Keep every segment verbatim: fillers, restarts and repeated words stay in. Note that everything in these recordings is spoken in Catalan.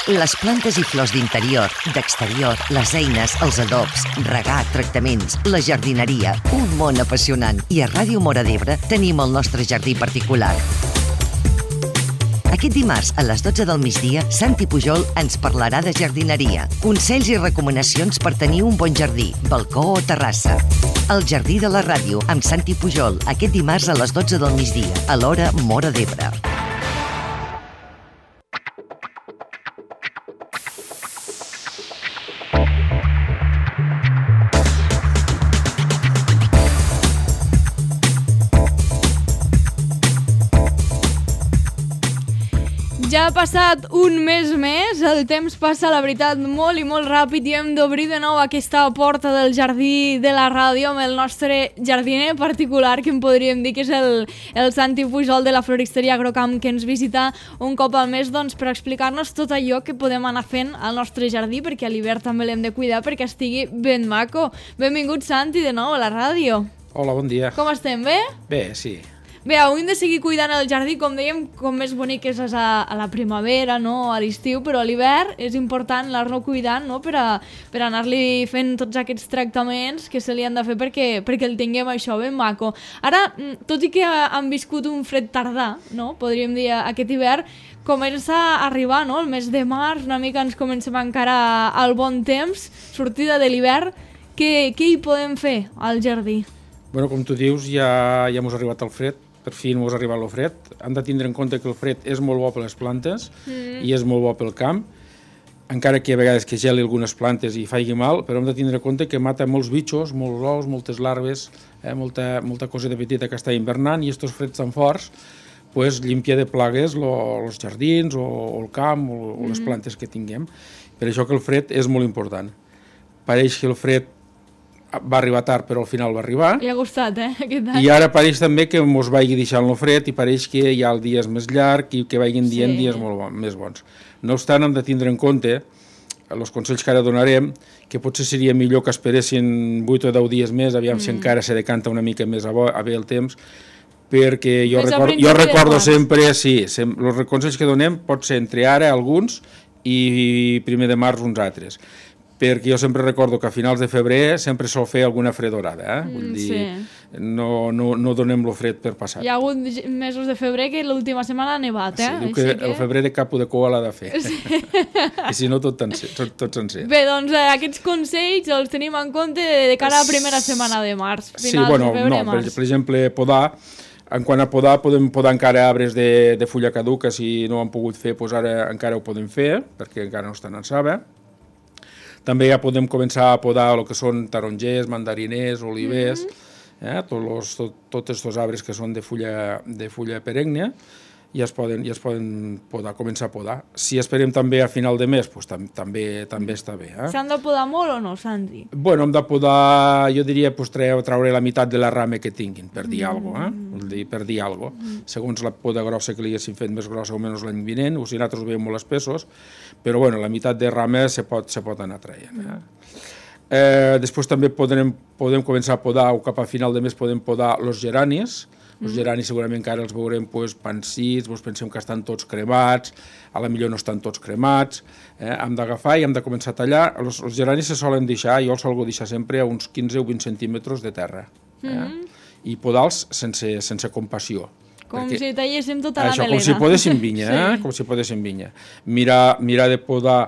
Les plantes i flors d'interior, d'exterior, les eines, els adobs, regar, tractaments, la jardineria, un món apassionant. I a Ràdio Móra d'Ebre tenim el nostre jardí particular. Aquest dimarts, a les dotze del migdia, Santi Pujol ens parlarà de jardineria. Consells i recomanacions per tenir un bon jardí, balcó o terrassa. El Jardí de la Ràdio, amb Santi Pujol, aquest dimarts a les dotze del migdia, a l'hora Móra d'Ebre. Ja ha passat un mes més, el temps passa, la veritat, molt i molt ràpid i hem d'obrir de nou aquesta porta del jardí de la ràdio amb el nostre jardiner particular, que en podríem dir que és el, el Santi Pujol de la floristeria Agrocamp, que ens visita un cop al mes doncs, per explicar-nos tot allò que podem anar fent al nostre jardí, perquè a l'hivern també l'hem de cuidar perquè estigui ben maco. Benvingut, Santi, de nou a la ràdio. Hola, bon dia. Com estem, bé? Bé, sí. Bé, avui hem de seguir cuidant el jardí, com dèiem, com més bonic és a, a la primavera, no? A l'estiu, però a l'hivern és important anar-lo cuidant, no? per, a, per anar-li fent tots aquests tractaments que se li han de fer perquè, perquè el tinguem això ben maco. Ara, tot i que han viscut un fred tardà, no? Podríem dir aquest hivern, comença a arribar, no? El mes de març, una mica ens comencem encara al bon temps, sortida de l'hivern. Què, què hi podem fer al jardí? Bueno, com tu dius, ja, ja mos ha arribat el fred. Per fi mos ha arribat el fred. Hem de tindre en compte que el fred és molt bo per les plantes mm. i és molt bo pel camp, encara que a vegades que geli algunes plantes i faci mal, però hem de tindre en compte que mata molts bitxos, molts ous, moltes larves, eh, molta, molta coseta petita que està hivernant, i estos freds tan forts pues, limpia de plagues els jardins o, o el camp o, o les plantes que tinguem. Per això que el fred és molt important. Pareix que el fred va arribar tard, però al final va arribar. I ha gustat, eh, aquest any. I ara pareix també que mos vagi deixant el fred i pareix que hi ha el dia més llarg i que vagin dient sí. dies molt bon, més bons. No obstant, hem de tindre en compte, els consells que ara donarem, que potser seria millor que esperessin vuit o deu dies més, aviam mm. si encara se decanta una mica més a, bo, a bé el temps, perquè jo, record, jo recordo sempre, sí, sem, els consells que donem pot ser entre ara alguns i primer de març uns altres. Perquè jo sempre recordo que a finals de febrer sempre sol fer alguna fredorada, eh? Vull dir, sí. no, no, no donem lo fred per passat. Hi ha hagut mesos de febrer que l'última setmana ha nevat, eh? Sí, diu que, que el febrer de cap o de cua l'ha de fer. Sí. I si no, tot, sencer, tot, tot sencer. Bé, doncs eh, aquests consells els tenim en compte de cara a la primera setmana de març. Sí, bueno, de febrer, no, març. Per, per exemple, podar, en quant a podar, podem podar encara arbres de, de fulla caduca, si no ho han pogut fer, doncs ara encara ho podem fer, perquè encara no estan en saba. També ja podem començar a podar el que són tarongers, mandariners, olivers, mm-hmm. eh? tots los, tot, tots aquests arbres que són de fulla, de fulla perenne, i es poden, i es poden podar, començar a podar. Si esperem també a final de mes, doncs tam, també, també està bé. Eh? S'han de podar molt o no, Santi? Bueno, hem de podar, jo diria, pues, traure la meitat de la rama que tinguin, per dir mm. alguna cosa, eh? Vull dir, per dir alguna cosa. Mm. Segons la poda grossa que li haguessin fet més grossa o menys l'any vinent, o si nosaltres ho veiem molt espessos, però bueno, la meitat de rama se pot, se pot anar traient. Eh? Eh, després també podem, podem començar a podar, o cap a final de mes podem podar els geranis. Els geranis segurament que ara els veurem pues, pansits, doncs pensem que estan tots cremats, a la millor no estan tots cremats, eh? Hem d'agafar i hem de començar a tallar. Els, els geranis se solen deixar, jo els solgo deixar sempre a uns quinze o vint centímetres de terra, eh? Mm-hmm. I podar-los sense, sense compassió. Com perquè, si talléssim tota la això, melena. Com si podéssim vinya, sí. eh? Com si podéssim vinya. Mirar, mirar de podar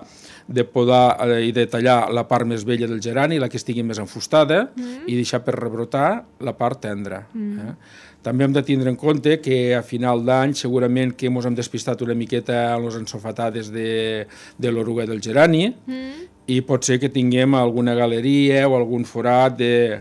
de podar eh, i de tallar la part més vella del gerani, la que estigui més enfustada, mm. i deixar per rebrotar la part tendra. Mm. Eh? També hem de tindre en compte que a final d'any segurament que ens hem despistat una miqueta en les ensofatades de, de l'oruga del gerani, mm. i pot ser que tinguem alguna galeria o algun forat de,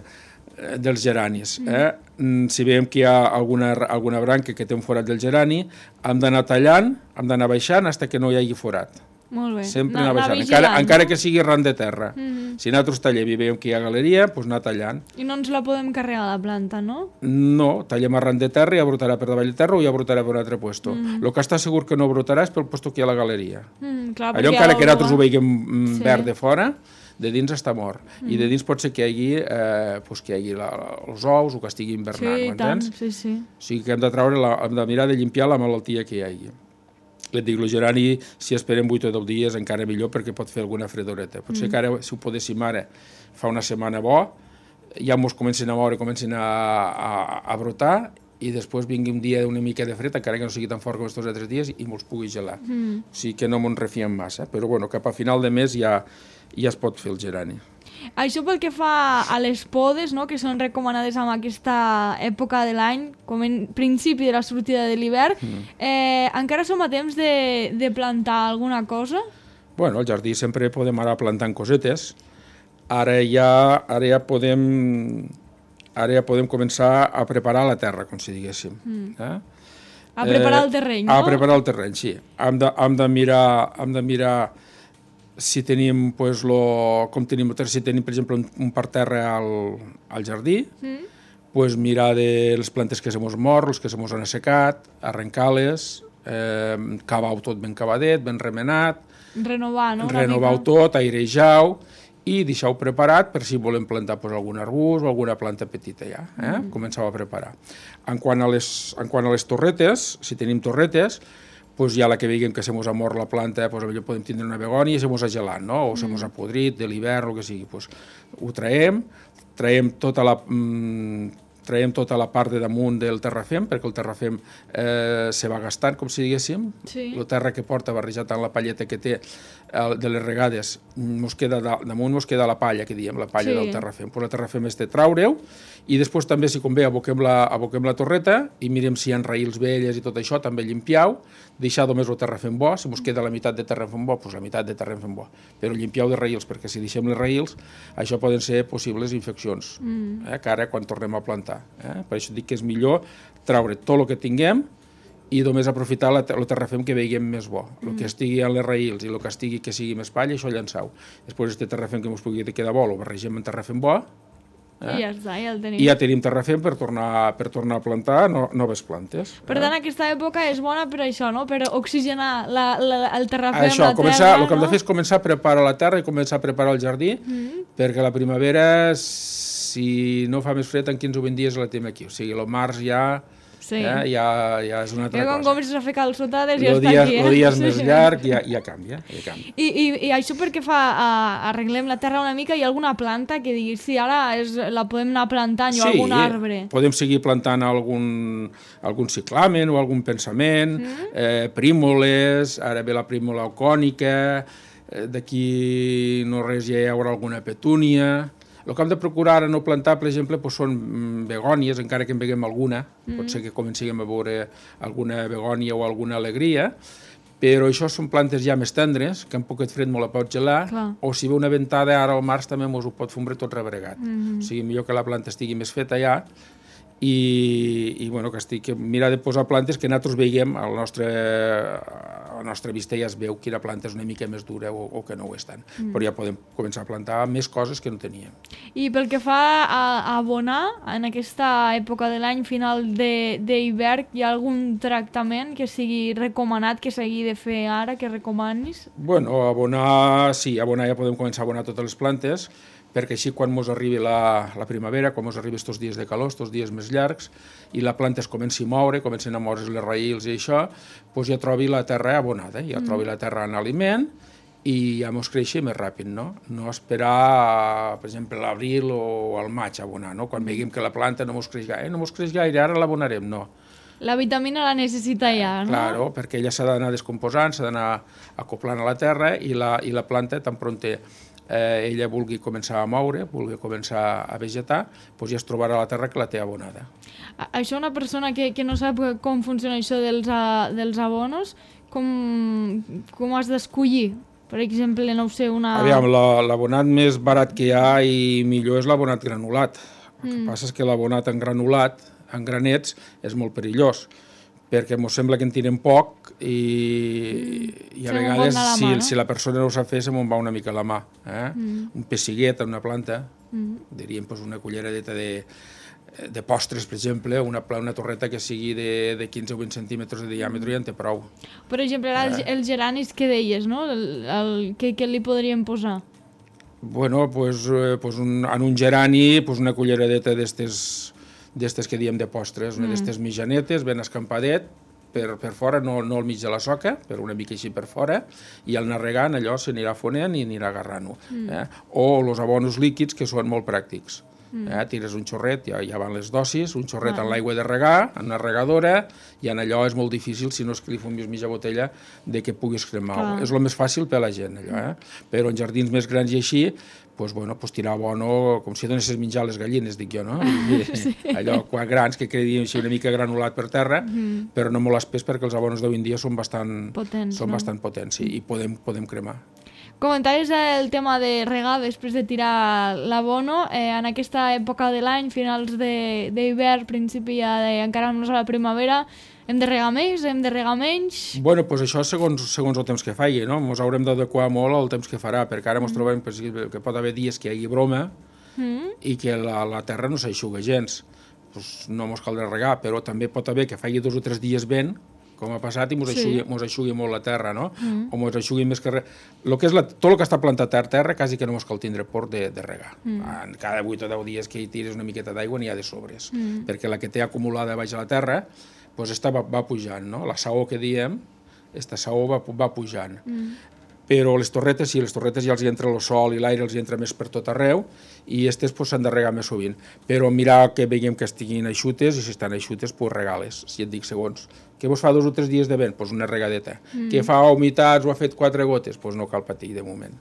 dels geranis. Mm. Eh? Si veiem que hi ha alguna, alguna branca que té un forat del gerani, hem d'anar tallant, hem d'anar baixant fins que no hi hagi forat. Molt bé. Sempre no, anar baixant, encara, no? encara que sigui ran de terra. Mm-hmm. Si nosaltres tallem i veiem que hi ha galeria, doncs anar tallant. I no ens la podem carregar a la planta, no? No, tallem a ran de terra i ja brotarà per davall de terra o ja brotarà per un altre puesto. Mm-hmm. El que està segur que no brotarà és pel puesto que hi ha la galeria. Mm, clar, allò encara que nosaltres ho veiem sí. verd de fora, de dins està mort. Mm. I de dins pot ser que hi hagi, eh, pues que hi hagi la, els ous o que estigui invernant, sí, m'entens? Sí, sí. O sigui que hem de, traure la, hem de mirar de limpiar la malaltia que hi hagi. Et dic, el gerani, si esperem vuit o deu dies, encara millor, perquè pot fer alguna fredoreta. Potser mm. que ara, si ho podéssim ara, fa una setmana bo, ja mos comencen a moure, comencen a, a, a brotar, i després vingui un dia una mica de fred, encara que no sigui tan fort com aquests altres dies, i mos pugui gelar. Mm. O sigui que no mos refiem massa, però bueno, cap a final de mes ja, ja es pot fer el gerani. Això pel que fa a les podes, no?, que són recomanades en aquesta època de l'any, com en principi de la sortida de l'hivern, mm. eh, encara som a temps de, de plantar alguna cosa? Bueno, al jardí sempre podem anar plantant cosetes. Ara ja, ara ja podem... Ara ja podem començar a preparar la terra, com si diguéssim. Mm. Eh? A preparar el terreny, no? A preparar el terreny, sí. Hem de, hem de mirar... Hem de mirar si tenim, pues, lo, com tenim, si tenim, per exemple, un, un parterre al, al jardí, mm. pues, mirar de les plantes que se mos mor, les que se mos han assecat, arrencar-les, eh, cavar-ho tot ben cavadet, ben remenat, renovar, no? Renovar-ho tot, airejar-ho, i deixar-ho preparat per si volem plantar, pues, algun arbust o alguna planta petita ja. Eh? Mm. Començar a preparar. En quant a les, en quant a les torretes, si tenim torretes, pues ja la que veiem que se mos ha mort la planta, pues potser podem tindre una begònia i se mos ha gelat, no? O se mos ha podrit de l'hivern, o que sigui. Pues ho traiem, traiem tota la... Mm, traiem tota la part de damunt del terrafem, perquè el terrafem eh, se va gastant, com si diguéssim. Sí. La terra que porta barrejat amb la palleta que té eh, de les regades, mos queda da, damunt mos queda la palla, que diem, la palla sí. del terrafem. Pues el terrafem és de traure-ho, i després també, si convé, aboquem la, aboquem la torreta i mirem si hi ha raïls velles i tot això, també llimpiau, deixar només el terrafem bo, si mos queda la meitat de terrafem bo, doncs la meitat de terrafem bo, però llimpiau de raïls, perquè si deixem les raïls, això poden ser possibles infeccions, mm. eh, que ara quan tornem a plantar. Eh? Per això dic que és millor traure tot el que tinguem i només aprofitar la, el terrafem que veiem més bo. El mm. que estigui a les raïls i el que estigui que sigui més palla, això llançau. Després aquest terrafem que ens pugui quedar bo, el barregem amb terrafem bo, eh? I ja està, ja el tenim. I ja tenim terrafem per tornar, per tornar a plantar no, noves plantes. Per tant, eh? Aquesta època és bona per això, no? Per oxigenar la, la, el terrafem, això, la començar, terra, el que hem no? de fer és començar a preparar la terra i començar a preparar el jardí, mm. perquè la primavera, si no fa més fred, en quinze o vint dies la tenim aquí. O sigui, el març ja... Sí. Eh? Ja, ja és una altra I quan cosa. comences a fer calçotades ja el està dia, aquí. Eh? El dia és més llarg i ja, ja canvia. Ja canvia. I, i, I això perquè fa, uh, arreglem la terra una mica, hi ha alguna planta que diguis, sí, ara és, la podem anar plantant, sí, o algun arbre? Sí, podem seguir plantant algun, algun ciclamen o algun pensament, mm. eh, prímoles, ara ve la prímola ocònica, eh, d'aquí no res ja hi haurà alguna petúnia. El que hem de procurar a no plantar, per exemple, doncs són begònies, encara que en veiem alguna, mm. pot ser que comencem a veure alguna begònia o alguna alegria, però això són plantes ja més tendres, que amb poquet fred molt la pot gelar, clar. O si ve una ventada ara al març també mos ho pot fondre tot rebregat. Mm. O sigui, millor que la planta estigui més feta ja, i, i bueno, que estic, mirar de posar plantes que nosaltres veiem, a la nostra, a la nostra vista ja es veu quina planta és una mica més dura o, o que no ho és tant, mm. però ja podem començar a plantar més coses que no teníem. I pel que fa a, a abonar, en aquesta època de l'any final d'hivern, hi ha algun tractament que sigui recomanat, que s'hagi de fer ara, que recomanis? Bueno, abonar, sí, abonar ja podem començar a abonar totes les plantes, perquè així quan ens arribi la, la primavera, quan ens arribi aquests dies de calor, aquests dies més llargs, i la planta es comenci a moure, comencen a moure's les raïls i això, doncs ja trobi la terra abonada, ja mm. trobi la terra en aliment i ja ens creixi més ràpid, no? No esperar, per exemple, l'abril o al maig a abonar, no? Quan veiem que la planta no ens creix gaire, eh, no ens creix gaire, ara l'abonarem, no. La vitamina la necessita ja, no? Claro, perquè ella s'ha d'anar descomposant, s'ha d'anar acoplant a la terra i la, i la planta tan pronta Eh, ella vulgui començar a moure, vulgui començar a vegetar, doncs ja es trobarà la terra que la té abonada. Això una persona que, que no sap com funciona això dels, uh, dels abonos, com, com has d'escollir? Per exemple, no ho sé, una... Aviam, l'abonat més barat que hi ha i millor és l'abonat granulat. El que mm. passa és que l'abonat en granulat, en granets, és molt perillós, perquè ens sembla que en tirem poc i, i a se vegades la si, mà, no? si la persona no ho sap fer se me'n va una mica la mà. Eh? Mm. Un pessiguet, una planta, mm. diríem pues, una culleradeta de, de postres, per exemple, una, una torreta que sigui de, de quinze o vint centímetres de diàmetre ja en té prou. Per exemple, ara eh? els geranis que deies, no? El, el, què, què li podríem posar? Bueno, pues, pues un, en un gerani pues una culleradeta d'estes... d'estes que diem de postres, una mm. d'estes mitjanetes, ben escampadet, per, per fora, no, no al mig de la soca, per una mica així per fora, i al anar regant allò s'anirà fonent i anirà agarrant-ho. Mm. Eh? O els abonos líquids, que són molt pràctics. Mm. Eh? Tires un xorret, ja, ja van les dosis, un xorret ah. en l'aigua de regar, en una regadora, i en allò és molt difícil, si no és que li fumis mitja botella, de que puguis cremar. Ah. És el més fàcil per a la gent, allò. Eh? Però en jardins més grans i així, pues, bueno, pues, tirar abono, com si donessis menjar les gallines, dic jo, no? I, sí. Allò, quan grans, que quedi així una mica granulat per terra, mm. però no molt espès, perquè els abonos d'avui en dia són bastant potents, són no? bastant potents sí, i podem, podem cremar. Comentaris el tema de regar després de tirar l'abono. Eh, en aquesta època de l'any, finals d'hivern, principi ja de, encara no és a la primavera, hem de regar més, hem de regar menys? Bueno, doncs això segons, segons el temps que faci, no? Ens haurem d'adequar molt al temps que farà, perquè ara ens mm. trobem pues, que pot haver dies que hi hagi broma mm. i que la, la terra no s'aixuga gens. Pues no ens caldrà regar, però també pot haver que faci dos o tres dies vent, com ha passat, i ens sí. aixugui, aixugui molt la terra, no? Mm. O ens aixugui més que res. Lo que és la, tot el que està plantat a terra, quasi que no ens cal tindre por de, de regar. Mm. Cada vuit o deu dies que hi tires una miqueta d'aigua n'hi ha de sobres, mm. perquè la que té acumulada baix a la terra, pues esta va, va pujant, no? La saó que diem, esta saó va, va pujant. Mm. Però les torretes, sí, les torretes ja els hi entra el sol i l'aire, els hi entra més per tot arreu, i aquestes pues, s'han de regar més sovint. Però mirar que veiem que estiguin eixutes, i si estan eixutes, pues regales, si et dic segons. Què vos fa dos o tres dies de vent? Pues una regadeta. Mm. Què fa humitats o ha fet quatre gotes? Pues no cal patir de moment.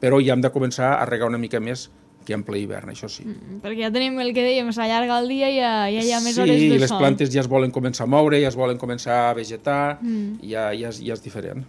Però ja hem de començar a regar una mica més que en ple hivern, això sí. Mm, perquè ja tenim el que dèiem, s'allarga el dia i ja, ja hi ha més sí, hores de sol. Sí, les plantes ja es volen començar a moure, ja es volen començar a vegetar, mm. ja, ja, és, ja és diferent.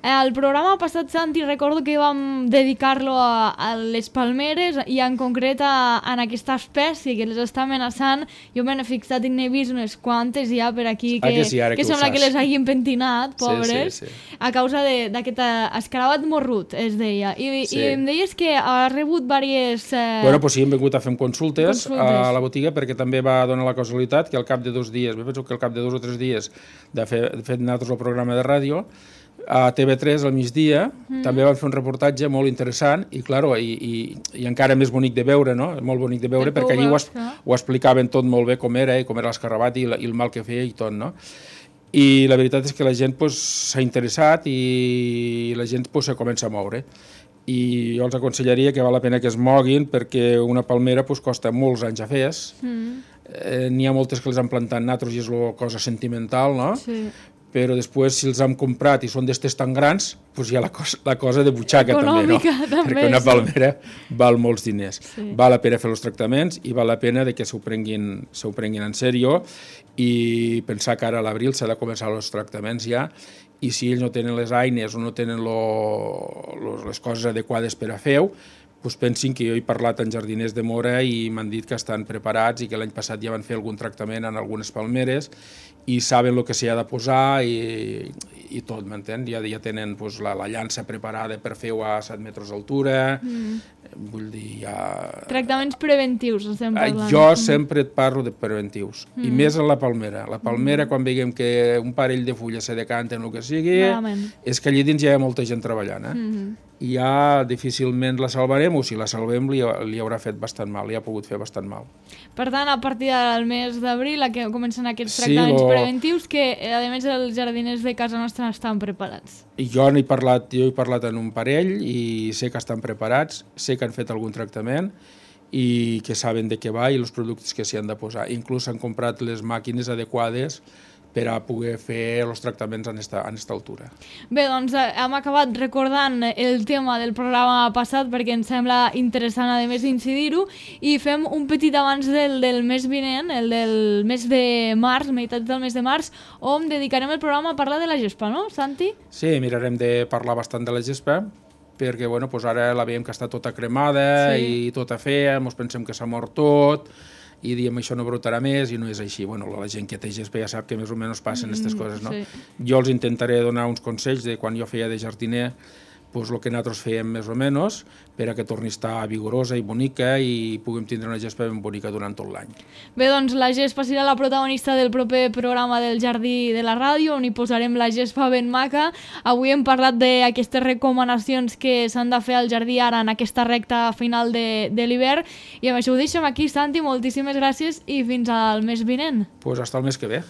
El programa passat, Santi, recordo que vam dedicar-lo a, a les palmeres i en concret a, a aquesta espècie que les està amenaçant. Jo m'he fixat i n'he vist unes quantes ja per aquí que, ah, que, sí, que, que sembla que les hagin pentinat, pobres, sí, sí, sí. a causa d'aquest escarabat morrut, es deia. I, sí. i em deies que ha rebut diverses... Bueno, doncs sí, hem vingut a fer consultes, consultes a la botiga, perquè també va donar la casualitat que al cap de dos dies, me penso que al cap de dos o tres dies de fer, de fer nosaltres el programa de ràdio, a T V tres al migdia mm. també van fer un reportatge molt interessant i, claro, i, i, i encara més bonic de veure, no? Molt bonic de veure, el perquè allí ho, es, ho explicaven tot molt bé com era, i com era l'escarrabat i, i el mal que feia i tot, no? I la veritat és que la gent s'ha pues, interessat i la gent pues, se comença a moure. I jo els aconsellaria que val la pena que es moguin perquè una palmera pues, costa molts anys a fer. Mm. Eh, N'hi ha moltes que les han plantat nosaltres i és una cosa sentimental, no? Sí. Però després, si els hem comprat i són d'estes tan grans, pues hi ha la cosa, la cosa de butxaca econòmica, també, no? També, perquè una sí. palmera val molts diners. Sí. Val la pena fer els tractaments i val la pena de que s'ho prenguin, s'ho prenguin en sèrio i pensar que ara a l'abril s'ha de començar els tractaments ja, i si ells no tenen les eines o no tenen lo, lo, les coses adequades per a fer-ho, doncs pensin que jo he parlat amb jardiners de Mora i m'han dit que estan preparats i que l'any passat ja van fer algun tractament en algunes palmeres i saben el que s'hi ha de posar i, i tot, m'entén? Ja, ja tenen pues, la, la llança preparada per fer-ho a set metres d'altura, mm. vull dir, ja... Tractaments preventius, estem parlant. Jo sempre et parlo de preventius, mm. i més en la palmera. La palmera, mm. quan veiem que un parell de fulles se decanten o el que sigui, Malament. és que allà dins ja hi ha molta gent treballant, eh? Mm. i ja difícilment la salvarem, o si la salvem li, li haurà fet bastant mal, li ha pogut fer bastant mal. Per tant, a partir del mes d'abril que comencen aquests tractaments sí, lo... preventius que, a més, els jardiners de casa nostra estan preparats. I jo n'he parlat, jo he parlat en un parell i sé que estan preparats, sé que han fet algun tractament i que saben de què va i els productes que s'hi han de posar. Inclús han comprat les màquines adequades per a poder fer els tractaments en esta, en esta altura. Bé, doncs hem acabat recordant el tema del programa passat perquè ens sembla interessant, a més, incidir-ho, i fem un petit abans del, del mes vinent, el del mes de març, meitat del mes de març, on dedicarem el programa a parlar de la gespa, no, Santi? Sí, mirarem de parlar bastant de la gespa, perquè bueno, doncs ara la veiem que està tota cremada sí. i tota fea, ens pensem que s'ha mort tot, i diem això no brotarà més i no és així. Bueno, la gent que té gespa ja sap que més o menys passen aquestes mm, coses, no? Sí. Jo els intentaré donar uns consells de quan jo feia de jardiner, doncs el que nosaltres fèiem més o menys, per a que torni a estar vigorosa i bonica i puguem tindre una gespa ben bonica durant tot l'any. Bé, doncs la gespa serà la protagonista del proper programa del Jardí de la Ràdio, on hi posarem la gespa ben maca. Avui hem parlat d'aquestes recomanacions que s'han de fer al jardí ara en aquesta recta final de, de l'hivern, i amb això ho deixem aquí, Santi, moltíssimes gràcies i fins al mes vinent. Doncs pues hasta el mes que ve.